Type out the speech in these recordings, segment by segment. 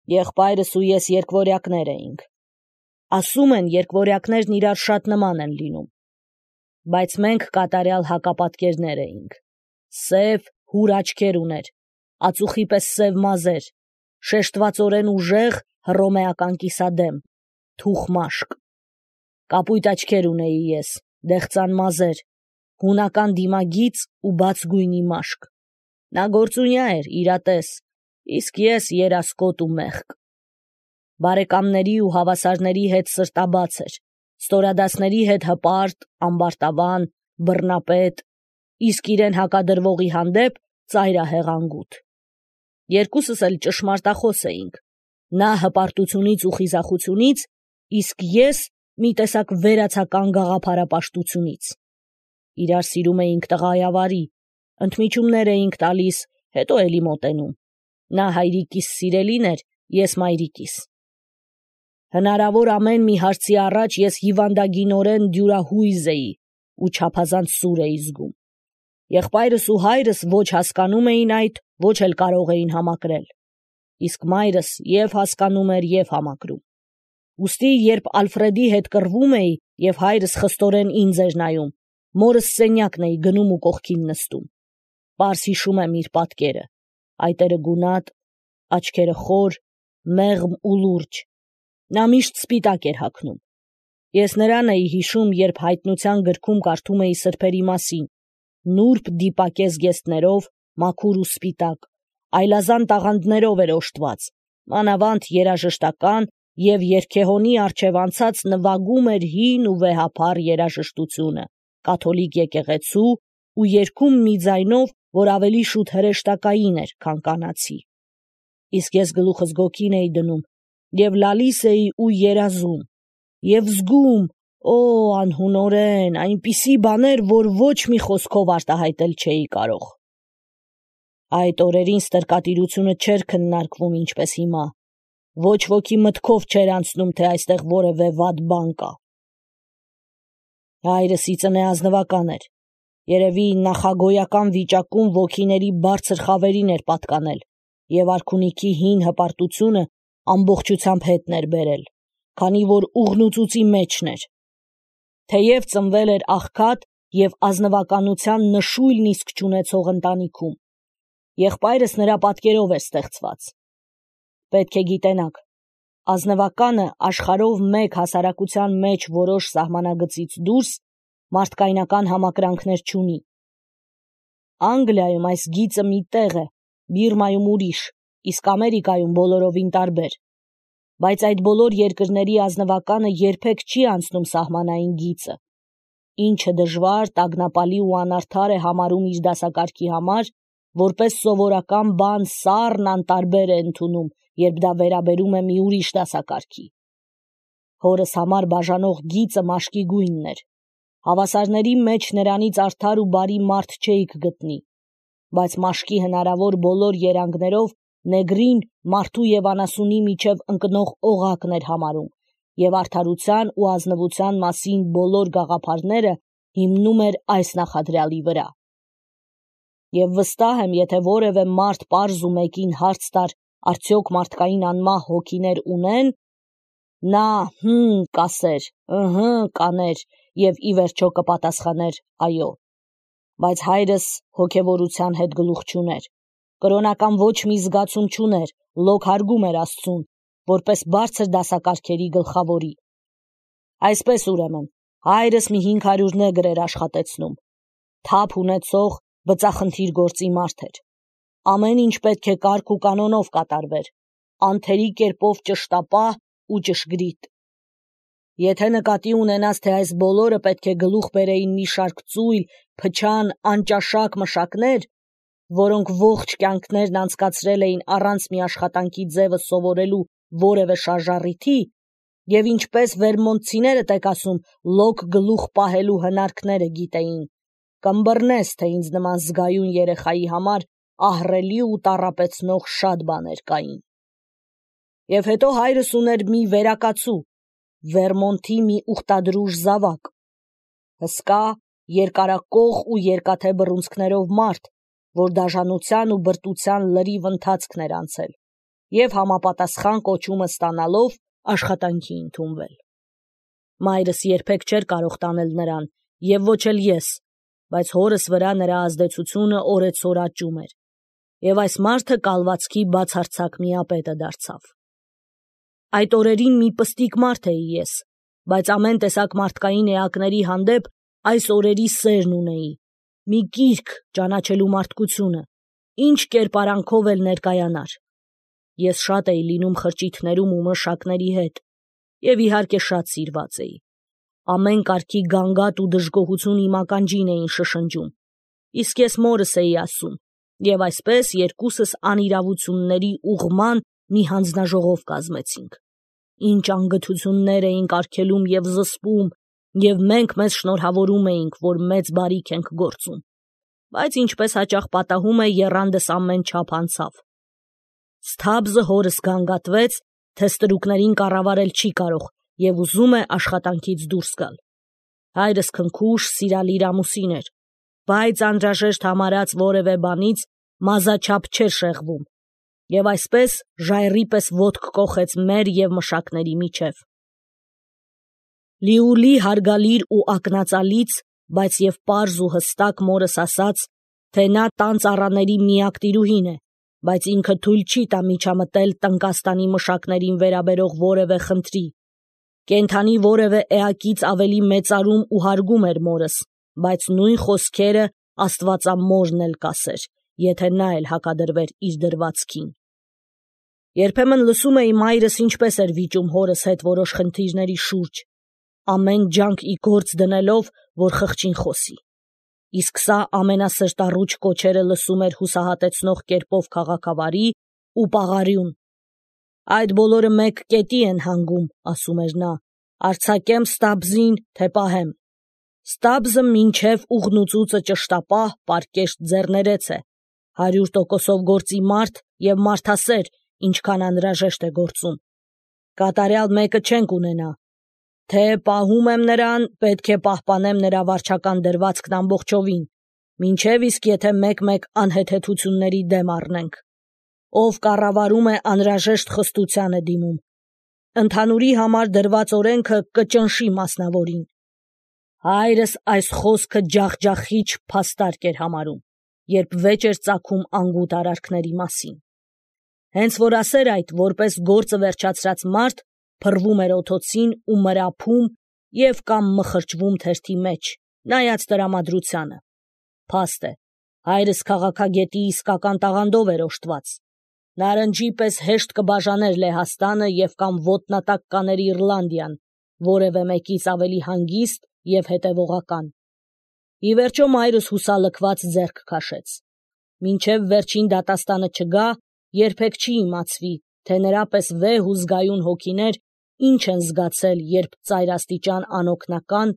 Եղբայրս ու ես երկվորյակներ էինք։ Ասում են, երկվորյակներն իրար շատ նման են լինում։ Բայց մենք կատարյալ հակապատկերներ էինք։ Սև, հուր աչքեր ուներ, ածուխի պես սև մազեր, շեշտվածորեն ուժեղ, հռոմեական կիսադեմ, թուխ մաշկ։ Կապույտ աչքեր ունեի ես, դեղցան մազեր, հունական դիմագիծ ու բաց գույնի մաշկ։ Նա գործունյա էր, իրատես, իսկ ես երասկոտ ու մեղկ։ Բարեկամների ու հավասարների հետ սրտաբաց էր, ստորադասների հետ հպարտ, ամբարտավան, բռնապետ, իսկ իրեն հակադրվողի հանդեպ ծայրահեղանգութ։ Երկուսս էլ ճշմարտախոս էինք, նա հպարտությունից ու խիզախությունից, իսկ ես մի տեսակ վերացական գաղափարապաշտությունից։ Իրար սիրում էինք տղայավարի, ընդմիջումներ էինք տալիս, հետո էլի մոտենում։ Նա հայրիկիս սիրելին էր, ես մայրիկիս։ Հնարավոր ամեն մի հարցի առաջ ես հիվանդագինորեն դյուրահույզ էի ու չափազանց սուր էի զգում։ Եղբայրս ու հայրս ոչ հասկանում էին այդ, ոչ էլ կարող էին համակրել։ Իսկ մայրս և հասկանում էր, և համակրում։ Ուստի, երբ Ալֆրեդի հետ կռվում էի, և հայրս խստորեն ինձ էր նայում, մորս սենյակն էի գնում ու կողքին նստում։ Պարզ հիշում եմ իր պատկերը, այտերը գունատ, աչքերը խոր, մեղմ ու լուրջ։ Նա միշտ սպիտակ էր հագնում։ Ես նրան էի հիշում, երբ հայտնության գրքում կարդում էի սրբերի մասին, նուրբ դիպակե զգեստներով, մաքուր ու սպիտակ, այլազան տաղանդներով էր օժտված, մանավանդ երաժշտական և երգեհոնի առջև անցած նվագում էր հին ու վեհափառ երաժշտությունը, կաթոլիկ եկեղեցու ու երգում մի ձայնով, որ ավելի շուտ հրեշտակային էր, քան կանացի։ Իսկ ես գլուխս գոգին էի դնում, և լալիս էի ու երազում, և զգում, անհունորեն, այնպիսի բաներ, որ ոչ մի խոսքով արտահայտել չէի կարող։ Այդ օրերին ստրկատիրությունը չէր քննարկվում ինչպես հիմա, ոչ ոքի մտքով չէր անցնում, թե այստեղ որևէ վատ բան կա։ Հայրս ի ծնե ազնվական էր, երևի նախագոյական վիճակում ոգիների բարձր խավերին էր պատկանել, և արքունիքի հին հպարտությունը ամբողջությամբ հետն էր բերել, քանի որ ուղնուծուծի մեջն էր։ Թեև ծնվել էր աղքատ և ազնվականության նշույլն իսկ չունեցող ընտանիքում, եղբայրս նրա պատկերով էր ստեղծված։ Պետք է գիտենաք, ազնվականը աշխարհով մեկ հասարակության մեջ որոշ սահմանագծից դուրս մարդկայնական համակրանքներ չունի։ Անգլիայում այս գիծը մի տեղ է, Բիրմայում ուրիշ, իսկ Ամերիկայում բոլորովին տարբեր։ Բայց այդ բոլոր երկրների ազնվականը երբեք չի անցնում սահմանային գիծը, ինչը դժվար, տագնապալի ու անարդար է համարում իր դասակարգի համար, որպես սովորական բան սառն անտարբեր է ընդունում, երբ դա վերաբերում է մի ուրիշ դասակարգի։ Հորս համար բաժանող գիծը մաշկի գույնն էր։ Հավասարների մեջ նրանից արդար ու բարի մարդ չէիք գտնի, բայց մաշկի հնարավոր բոլոր երանգներով նեգրին մարդու և անասունի միջև ընկնող օղակն էր համարում, և արդարության ու ազնվության մասին բոլոր գաղափարները հիմնում էր այս նախադրյալի վրա։ Եվ վստահ եմ, եթե որևէ մարդ պարզ ու մեկին հարց տար, արդյոք մարդկային անմահ հոգիներ ունեն, նա կասեր, կաներ և ի վերջո կպատասխաներ այո։ Բայց հայրս հոգևորության հետ գլուխ չուներ, կրոնական ոչ մի զգացում չուներ, լոկ հարգում էր Աստծուն, որպես բարձր դասակարգերի գլխավորի։ Այսպես ուրեմն, հայրս մի 500 նեգր էր աշխատեցնում, թափ ունեցող, բծախնդիր գործի մարդ էր։ Ամեն ինչ պետք է կարգ ու կանոնով կատարվեր, անթերի կերպով ճշտապահ ու ճշգրիտ։ Եթե նկատի ունենաս, թե այս բոլորը պետք է գլուխ բերեին մի շարք ծույլ, փչան, անճաշակ մշակներ, որոնք ողջ կյանքներն անցկացրել էին առանց մի աշխատանքի ձևը սովորելու որևէ շարժառիթի, և ինչպես վերմոնտցիներդ եք ասում, լոկ գլուխ պահելու հնարքները գիտեին, կըմբռնես, թե ինձ նման զգայուն երեխայի համար ահռելի ու տառապեցնող շատ բաներ կային։ Եվ հետո հայրս ուներ մի վերակացու, Վերմոնտի մի ուխտադրուժ զավակ, հսկա, երկարակող ու երկաթե բռունցքներով մարդ, որ դաժանության ու բրտության լրիվ ընթացքն էր անցել, և համապատասխան կոչումը ստանալով աշխատանքի ընդունվել։ Մայրս երբեք չէր կարող տանել նրան, և ոչ էլ ես, բայց հորս վրա նրա ազդեցությունը օրեցօր աճում էր, և այս մարդը կալվածքի բացարձակ միապետը դարձավ։ Այդ օրերին մի պստիկ մարդ էի ես, բայց ամեն տեսակ մարդկային էակների հանդեպ այս օրերի սերն ունեի, մի կիրք ճանաչելու մարդկությունը, ինչ կերպարանքով էլ ներկայանար։ Ես շատ էի լինում խրճիթներում ու մշակների հետ, և իհարկե շատ սիրված էի։ Ամեն կարգի գանգատ ու դժգոհություն իմ ականջին էին շշնջում, իսկ ես մորս էի ասում, և այսպես երկուսս անիրավությունների ուղղման մի հանձնաժողով կազմեցինք։ Ինչ անգթություններ էինք արգելում և զսպում, և մենք մեզ շնորհավորում էինք, որ մեծ բարիք ենք գործում, բայց ինչպես հաճախ պատահում է, եռանդս ամեն չափ անցավ։ Սթաբզը հորս գանգատվեց, թե ստրուկներին կառավարել չի կարող և ուզում է աշխատանքից դուրս գալ։ Հայրս քնքուշ, սիրալիր ամուսին էր, բայց անհրաժեշտ համարած որևէ բանից մազաչափ չէր շեղվում, և այսպես ժայռի պես ոտք կոխեց մեր և մշակների միջև։ Լիուլի հարգալիր ու ակնածալից, բայց և պարզ ու հստակ մորս ասաց, թե նա տան ծառաների միակ տիրուհին է, բայց ինքը թույլ չի տա միջամտել Տնկաստանի մշակներին վերաբերող որևէ խնդրի։ Կենդանի որևէ էակից ավելի մեծարում ու հարգում էր մորս, բայց նույն խոսքերը աստվածամորն էլ կասեր, եթե նա էլ հակադրվեր իր դրվածքին։ Երբեմն լսում էի մայրս ինչպես էր վիճում հորս հետ որոշ խնդիրների շուրջ, ամեն ջանք ի գործ դնելով, որ խղճին խոսի։ Իսկ սա ամենասրտառուչ կոչերը լսում էր հուսահատեցնող կերպով քաղաքավարի ու պաղարյուն։ Այդ բոլորը մեկ կետի են հանգում, ասում էր նա, արձակեմ Ստաբզին, թե պահեմ։ Ստաբզը մինչև ուղնուծուծը ճշտապահ, պարկեշտ ձեռներեց է, 100% գործի մարդ և մարդասեր, ինչքան անհրաժեշտ է գործում։ Կատարյալ մեկը չենք ունենա։ Թե պահում եմ նրան, պետք է պահպանեմ նրա վարչական դրվածքն ամբողջովին, մինչև իսկ եթե մեկ-մեկ անհեթեթությունների դեմ առնենք։ Ով կառավարում է, անհրաժեշտ խստության է դիմում։ Ընդհանուրի համար դրված օրենքը կճնշի մասնավորին։ Հայրս այս խոսքը ջախջախիչ փաստարկ էր համարում, երբ վեճ էր ծագում անգութ արարքների մասին։ Հենց որ ասեր այդ, որպես գործը վերջացրած մարդ, փռվում էր օդոցին ու մրափում և կամ մխրճվում թերթի մեջ, նայած տրամադրությանը։ Փաստ է, հայրս քաղաքագետի իսկական տաղանդով էր օժտված։ Նարնջի պես հեշտ կբաժաներ Լեհաստանը և կամ ոտնատակ կաներ Իռլանդիան, որևէ մեկից ավելի հանգիստ և հետևողական։ Ի վերջո մայրս հուսալքված ձեռք քաշեց։ Մինչև վերջին դատաստանը չգա, երբեք չի իմացվի, թե նրա պես վեհ ու զգայուն հոգիներ ինչ են զգացել, երբ ծայրաստիճան անօգնական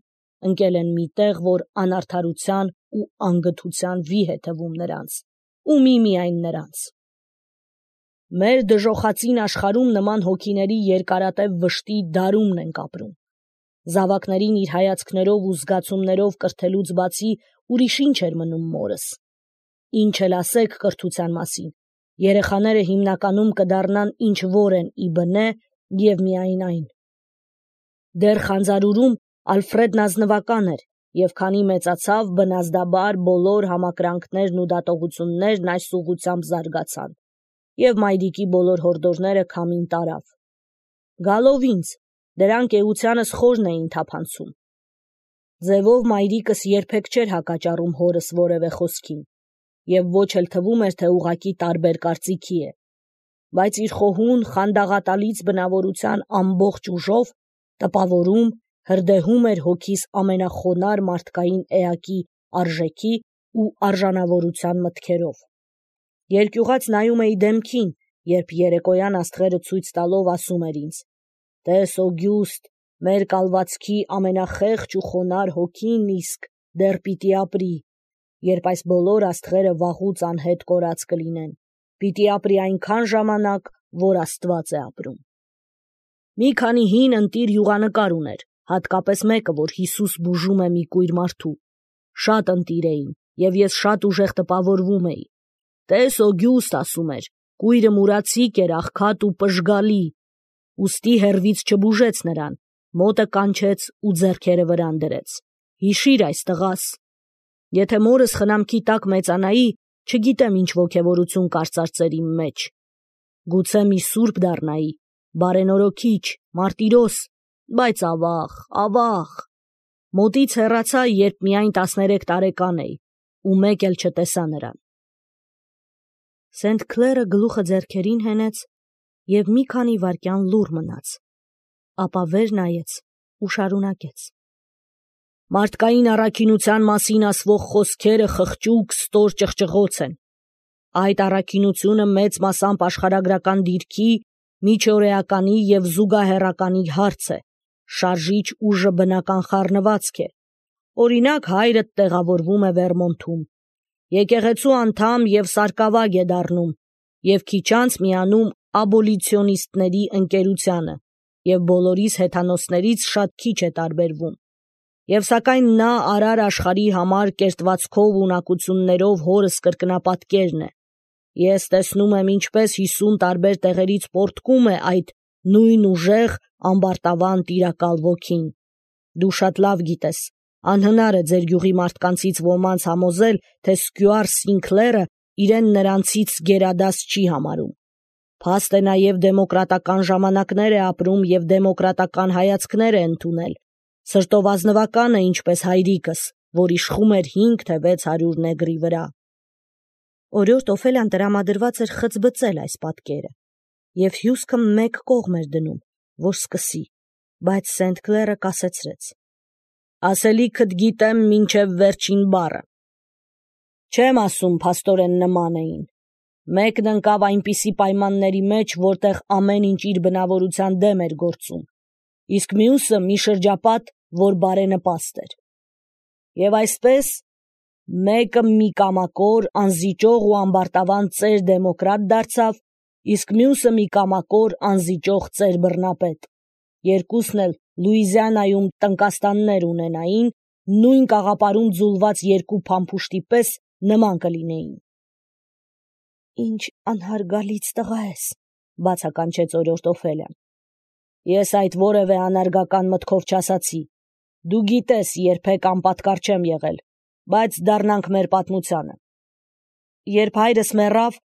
ընկել են մի տեղ, որ անարդարության ու անգթության վի է թվում նրանց, ու միմիայն նրանց։ Մեր դժոխացին աշխարհում նման հոգիների երկարատև վշտի դարումն ենք ապրում։ Զավակներին իր հայացքներով ու զգացումներով կրթելուց բացի ուրիշ ինչ էր մնում մորս։ Ինչ էլ ասեք կրթության մասին, երեխաները հիմնականում կդառնան ինչ որ են ի բնե և միայն այն։ Դեռ խանձարուրում Ալֆրեդն ազնվական էր, և քանի մեծացավ, բնազդաբար բոլոր համակրանքներն ու դատողություններն այս ուղղությամբ զարգացան, և մայրիկի բոլոր հորդորները քամին տարավ։ Գալով ինձ, դրանք էությանս խորն էին թափանցում։ Ձևով մայրիկս երբեք չէր հակաճառում հորս որևէ խոսքին, և ոչ էլ թվում էր, թե ուղղակի տարբեր կարծիքի է, բայց իր խոհուն, խանդաղատալից բնավորության ամբողջ ուժով տպավորում, հրդեհում էր հոգիս ամենախոնարհ մարդկային էակի արժեքի ու արժանավորության մտքերով։ Երկյուղած նայում էի դեմքին, երբ երեկոյան աստղերը ցույց տալով ասում էր ինձ. «Տես Օգյուստ, մեր կալվածքի ամենախեղճ ու խոնարհ հոգին իսկ դեռ պիտի ապրի, երբ այս բոլոր աստղերը վաղուց անհետ կորած կլինեն, պիտի ապրի այնքան ժամանակ, որ Աստված է ապրում»։ Մի քանի հին ընտիր յուղանկար ուներ, հատկապես մեկը, որ Հիսուս բուժում է մի կույր մարդու։ Շատ ընտիր էին, և ես շատ ուժեղ տպավորվում էի։ «Տես Օգյուստ, ասում էր, կույրը մուրացիկ էր, աղքատ ու պժգալի, ուստի հեռվից չբուժեց նրան, մոտը կանչեց ու ձեռքերը վրան դրեց. «Հիշիր այս տղաս, եթե մորս խնամքի տակ մեծանայի, չգիտեմ ինչ ոգևորություն կարծարծեր իմ մեջ, գուցե մի սուրբ դառնայի, բարենորոքիչ, մարտիրոս, բայց ավաղ, մոտից հեռացա, երբ միայն 13 տարեկան էի, ու մեկ էլ չտեսա նրան»։ Սենթ Քլերը գլուխը ձեռքերին հենեց և մի քանի վայրկյան լուռ մնաց, ապա վեր նայեց ու շարունակեց. «Մարդկային առաքինության մասին ասվող խոսքերը խղճուկ, ստոր ճղճղոց են։ Այդ առաքինությունը մեծ մասամբ աշխարհագրական դիրքի, միջօրեականի և զուգահեռականի հարց է, շարժիչ ուժը բնական խառնվածք է։ Օրինակ, հայրդ տեղավորվում է Վերմոնթում, եկեղեցու անդամ և սարկավագ է դառնում, և քիչ անց միանում աբոլիցիոնիստների ընկերությանը, և բոլորիս հեթանոսներից շատ քիչ է տարբերվում, և սակայն նա արար աշխարհի համար կերտվածքով ու ունակություններով հորս կրկնապատկերն է։ Ես տեսնում եմ, ինչպես 50 տարբեր տեղերից պոռթկում է այդ նույն ուժեղ, ամբարտավան տիրակալ ոգին։ Դու շատ լավ գիտես, անհնար է ձեր գյուղի մարդկանցից ոմանց համոզել, թե Սկյուարտ Սինքլերը իրեն նրանցից գերադաս չի համարում։ Փաստ է նաև դեմոկրատական ժամանակներ է ապրում և դեմոկրատական հայացքներ է ընդունել, սրտով ազնվական է, ինչպես հայրիկս, որ իշխում էր 5 թե 600 նեգրի վրա։ Օրիորդ Օֆելիան տրամադրված էր խցբծել այս պատկերը, և հյուսքը մեկ կողմ էր դնում, որ սկսի, բայց Սենթ Քլերը կասեցրեց. «Ասելիքդ գիտեմ մինչև վերջին բառը։ Չեմ ասում փաստորեն նման էին։ Մեկն ընկավ այնպիսի պայմանների մեջ, որտեղ ամեն ինչ իր բնավորության դեմ էր գործում, իսկ մյուսը մի շրջապատ, որ բարենպաստ էր։ Եվ այսպես, մեկը մի կամակոր, անզիջող ու ամբարտավան ծեր դեմոկրատ դարձավ, իսկ մյուսը մի կամակոր, անզիջող ծեր բռնապետ։ Երկուսն էլ Լուիզիանայում տնկաստաններ ունենային, նույն կաղապարում ձուլված երկու փամփուշտի պես նման կլինեին»։ «Ինչ անհարգալից տղա ես», բացականչեց օրիորդ Օֆելիան։ «Ես այդ որևէ անարգական մտքով չասացի։ Դու գիտես, երբեք անպատկառ չեմ եղել, բայց դառնանք մեր պատմությանը։ Երբ հայրս մեռավ,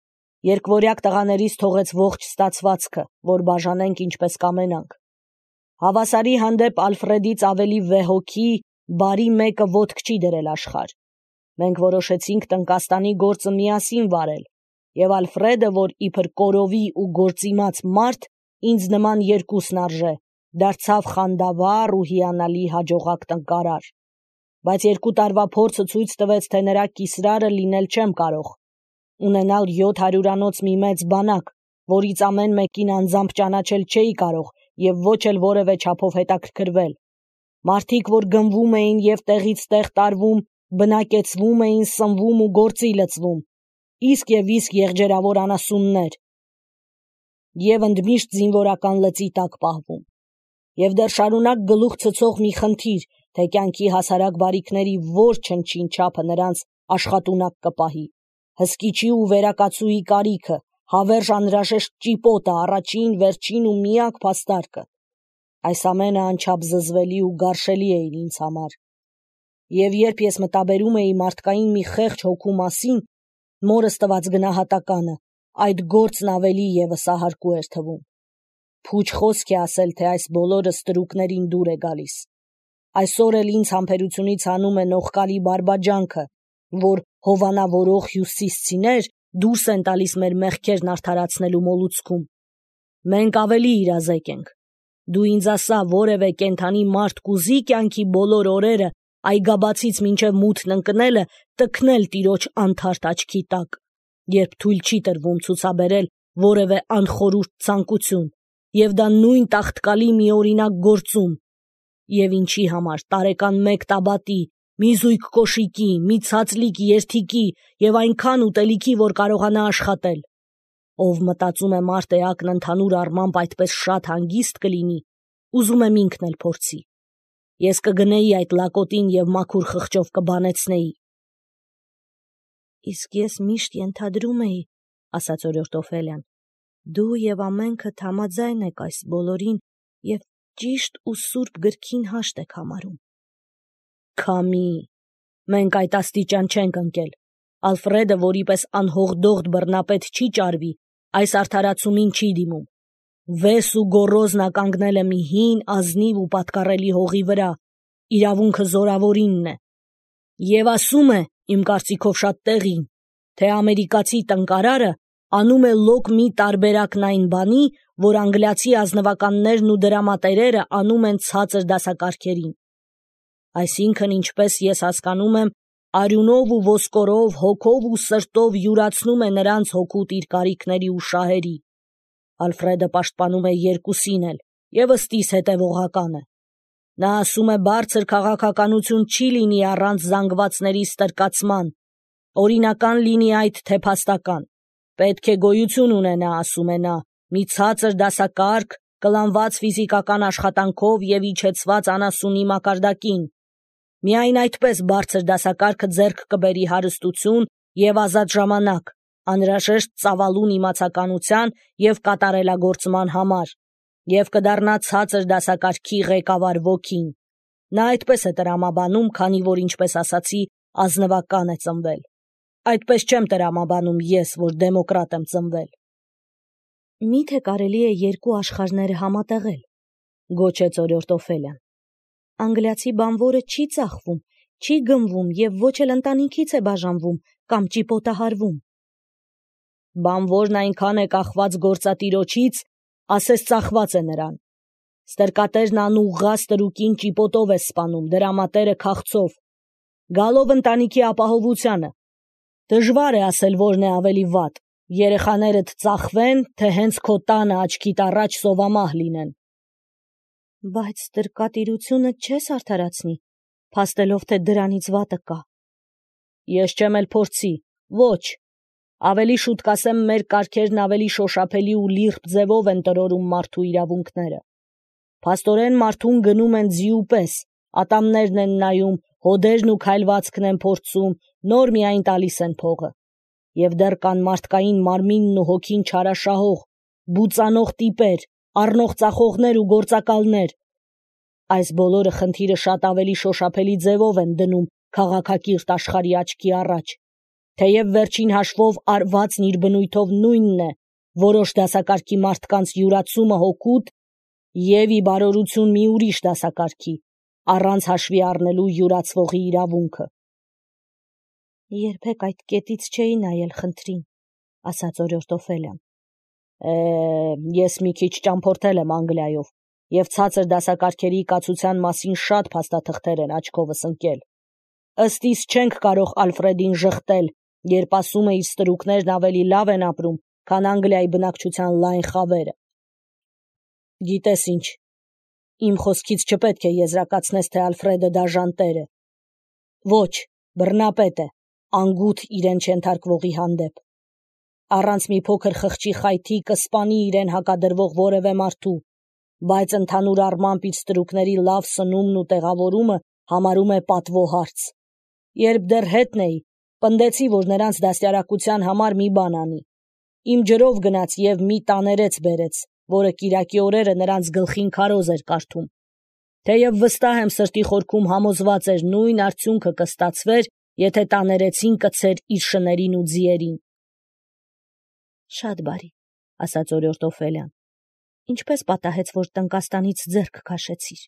երկվորյակ տղաներից թողեց ողջ ստացվածքը, որ բաժանենք ինչպես կամենանք։ Հավասարի հանդեպ Ալֆրեդից ավելի վեհոգի, բարի մեկը ոտք չի դրել աշխարհ։ Մենք որոշեցինք տնկաստանի գործը միասին վարել, և Ալֆրեդը, որ իբր կորովի ու գործիմաց մարդ, ինձ նման երկուսն արժե, դարձավ խանդավառ ու հիանալի հաջողակ տնկարար։ Բայց 2 տարվա փորձը ցույց տվեց, թե նրա կիսրարը լինել չեմ կարող, ունենալ 700-անոց մի մեծ բանակ, որից ամեն մեկին անձամբ ճանաչել չէի կարող և ոչ էլ որևէ չափով հետաքրքրվել։ Մարդիկ, որ գնվում էին և տեղից տեղ տարվում, բնակեցվում էին, սնվում ու գործի լծվում, իսկ եղջերավոր անասուններ, և ընդմիշտ զինվորական լծի տակ պահվում։ Եվ դեռ շարունակ գլուխ ցցող մի խնդիր, թե կյանքի հասարակ բարիքների որ չնչին չափը նրանց աշխատունակ կպահի, հսկիչի ու վերակացուի կարիքը, հավերժ անհրաժեշտ ճիպոտը, առաջին, վերջին ու միակ փաստարկը։ Այս ամենը անչափ զզվելի ու գարշելի էին ինձ համար։ Եվ երբ ես մտաբերում էի մարդկային մի խեղճ հոգու մասին, մորս տված գնահատականը, այդ գործն ավելի ևս ահարկու էր թվում։ Փուչ խոսք է ասել, թե այս բոլորը ստրուկներին դուր է գալիս։ Այսօր էլ ինձ համբերությունից հանում է նողկալի բարբաջանքը, որ հովանավորող հյուսիսցիներ դուրս են տալիս մեր մեղքերն արդարացնելու մոլուցքում։ Մենք ավելի իրազեկ ենք։ Դու ինձ ասա, որևէ կենդանի մարդ կուզի կյանքի բոլոր օրերը այգաբացից մինչև մութն ընկնելը տքնել տիրոջ անթարթ աչքի տակ, երբ թույլ չի տրվում ցուցաբերել որևէ անխորուրդ ցանկություն, և դա նույն տաղտկալի միօրինակ գործում, և ինչի համար տարեկան 1 տաբատի, մի զույգ կոշիկի, մի ցածլիկ երթիքի և այնքան ուտելիքի, որ կարողանա աշխատել։ Ով մտածում է մարդ էակն ընդհանուր առմամբ այդպես շատ հանգիստ կլինի, ուզում եմ ինքն էլ փորձի։ Ես կգնեի այդ լակոտին և մաքուր խղճով կբանեցնեի։ Իսկ ես միշտ ենթադրում էի, ասաց օրիորդ Օֆելիան։ Դու եւ ամենքը համաձայն եք այս բոլորին եւ ճիշտ ու սուրբ գրքին հաշտ եք համարում։ Քամի, մենք այդ աստիճան չենք ընկել։ Ալֆրեդը, որի պես անհողդողդ բռնապետ չի ճարվի, այս արդարացումին չի դիմում։ Վես ու գոռոզ նա կանգնել է մի հին, ազնիվ ու պատկառելի հողի վրա, իրավունքը զորավորինն է։ Եվ ասում է, իմ կարծիքով շատ տեղին, թե ամերիկացի տնկարարը անում է լոկ մի տարբերակն այն բանի, որ անգլիացի ազնվականներն ու դրամատերերը անում են ցածր դասակարգերին։ Այսինքն, ինչպես ես հասկանում եմ, արյունով ու ոսկորով, հոգով ու սրտով յուրացնում է նրանց հոգուտ իր կարիքների ու շահերի։ Ալֆրեդը պաշտպանում է երկուսին էլ և ըստիս հետևողական է։ Նա ասում է, բարձր քաղաքականություն չի լինի առանց զանգվածների ստրկացման, օրինական լինի այդ թե փաստական։ Պետք է գոյություն ունենա, ասում է նա, մի ցածր դասակարգ, կլանված ֆիզիկական աշխատանքով և իջեցված անասունի մակարդակին։ Միայն այդպես բարձր դասակարգը ձեռք կբերի հարստություն և ազատ ժամանակ, անհրաժեշտ ծավալուն իմացականության և կատարելագործման համար, և կդառնա ցածր դասակարգի ղեկավար ոգին։ Նա այդպես է տրամաբանում, քանի որ, ինչպես ասացի, ազնվական է ծնվել։ Այդպես չեմ տրամաբանում ես, որ դեմոկրատ եմ ծնվել։ Միթե կարելի է երկու աշխարհները համատեղել, գոչեց օրիորդ Օֆելիան։ Անգլիացի բանվորը չի ծախվում, չի գնվում և ոչ էլ ընտանիքից է բաժանվում կամ ճիպոտահարվում։ Բանվորն այնքան է կախված գործատիրոջից, ասես ծախված է նրան։ Ստրկատերն անուղղա ստրուկին ճիպոտով է սպանում, դրամատերը քաղցով, գալով ընտանիքի ապահովությանը։ Դժվար է ասել, որն է ավելի վատ, երեխաներդ ծախվեն, թե հենց քո տանը աչքիդ առաջ սովամահ լինեն։ Բայց ստրկատիրությունը չես արդարացնի, փաստելով, թե դրանից վատը կա։ Ես չեմ էլ փորձի, ոչ։ Ավելի շուտ կասեմ, մեր կարգերն ավելի շոշափելի ու լիրբ ձևով են տրորում մարդու իրավունքները։ Փաստորեն մարդուն գնում են ձիու պես, ատամներն են նայում, հոդերն ու քայլվածքն են փորձում, նոր միայն տալիս են փողը։ Եվ դեռ կան մարդկային մարմինն ու հոգին չարաշահող, բուծանող տիպեր, առնող ծախողներ ու գործակալներ։ Այս բոլորը խնդիրը շատ ավելի շոշափելի ձևով են դնում քաղաքակիրթ աշխարհի աչքի առաջ, թեև վերջին հաշվով արվածն իր բնույթով նույնն է, որոշ դասակարգի մարդկանց յուրացումը հոգուտ և ի բարօրություն մի ուրիշ դասակարգի, առանց հաշվի առնելու յուրացվողի իրավունքը։ Երբեք այդ կետից չէի նայել խնդրին, ասաց օրիորդ Օֆելիան։ Ես մի քիչ ճամփորդել եմ Անգլիայով, և ցածր դասակարգերի կացության մասին շատ փաստաթղթեր են աչքովս ընկել։ Ըստ իս չենք կարող Ալֆրեդին ժխտել, երբ ասում է իր ստրուկներն ավելի լավ են ապրում, քան Անգլիայի բնակչության լայն խավերը։ Գիտես ինչ, իմ խոսքից չպետք է եզրակացնես, թե Ալֆրեդը դաժան տեր է։ Ոչ, բռնապետ է, անգութ իրեն չենթարկվողի հանդեպ։ Առանց մի փոքր խղճի խայթի կսպանի իրեն հակադրվող որևէ մարդու, բայց ընդհանուր առմամբ իր ստրուկների լավ սնումն ու տեղավորումը համարում է պատվո հարց։ Երբ դեռ հետն էի, պնդեցի, որ նրանց դաստիարակության համար մի բան անի։ Իմ ջրով գնաց և մի տաներեց բերեց, որը կիրակի օրերը նրանց գլխին քարոզ էր կարդում։ Թեև վստահ եմ սրտի խորքում համոզված էր նույն արդյունքը կստացվեր, եթե տաներեցին կցեր իր շներին ու ձիերին։ Շատ բարի, ասաց օրիորդ Օֆելիան։ Ինչպես պատահեց, որ Տնկաստանից ձեռք քաշեցիր։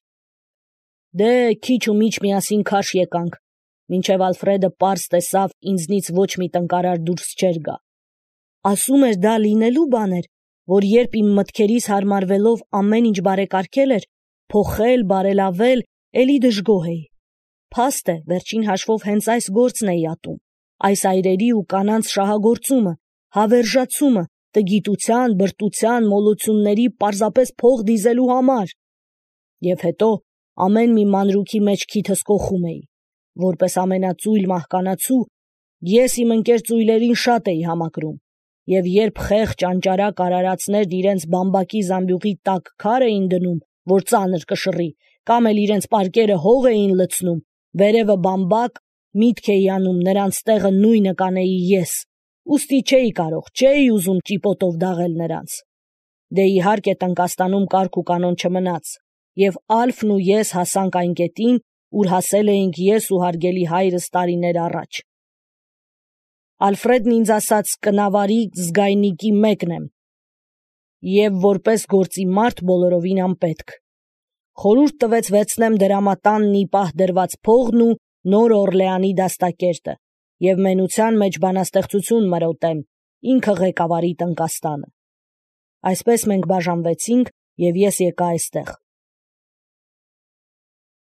Դե քիչ ու միչ միասին քարշ եկանք, մինչև Ալֆրեդը պարզ տեսավ, ինձնից ոչ մի տնկարար դուրս չէր գա։ Ասում էր, դա լինելու բան էր, որ երբ իմ մտքերիս հարմարվելով ամեն ինչ բարեկարգել էր, փոխել, բարելավել, էլի դժգոհ էի։ Փաստ է, վերջին հաշվով հենց այս գործն էի ատում, այս այրերի ու կանանց շահագործումը, հավերժացումը, տգիտության, բրտության, մոլությունների պարզապես փող դիզելու համար։ Եվ հետո ամեն մի մանրուքի մեջ քիթս կոխում էի, որպես ամենածույլ մահկանացու, ես իմ ընկեր ծույլերին շատ էի համակրում, և երբ խեղճ անճարակ արարածներն իրենց բամբակի զամբյուղի տակ քար էին դնում, որ ծանր կշռի, կամ էլ իրենց պարկերը հող էին լցնում, վերևը բամբակ, միտք էի անում նրանց տեղը նույնը կանեի ես, ուստի չէի կարող, չէի ուզում ճիպոտով դաղել նրանց։ Դե իհարկե Տնկաստանում կարգ ու կանոն չմնաց, և Ալֆն ու ես հասանք այն կետին, ուր հասել էինք ես ու հարգելի հայրս տարիներ առաջ։ Ալֆրեդն ինձ ասաց կնավարի զգայնիկի մեկն եմ, և որպես գործի մարդ բոլորովին անպետք։ Խորհուրդ տվեց վերցնեմ դրամատանն ի պահ դրված փողն ու Նոր Օրլեանի դաստակերտը և մենության մեջ բանաստեղծություն մրոտեմ, ինքը ղեկավարի Տնկաստանը։ Այսպես մենք բաժանվեցինք, և ես եկա այստեղ։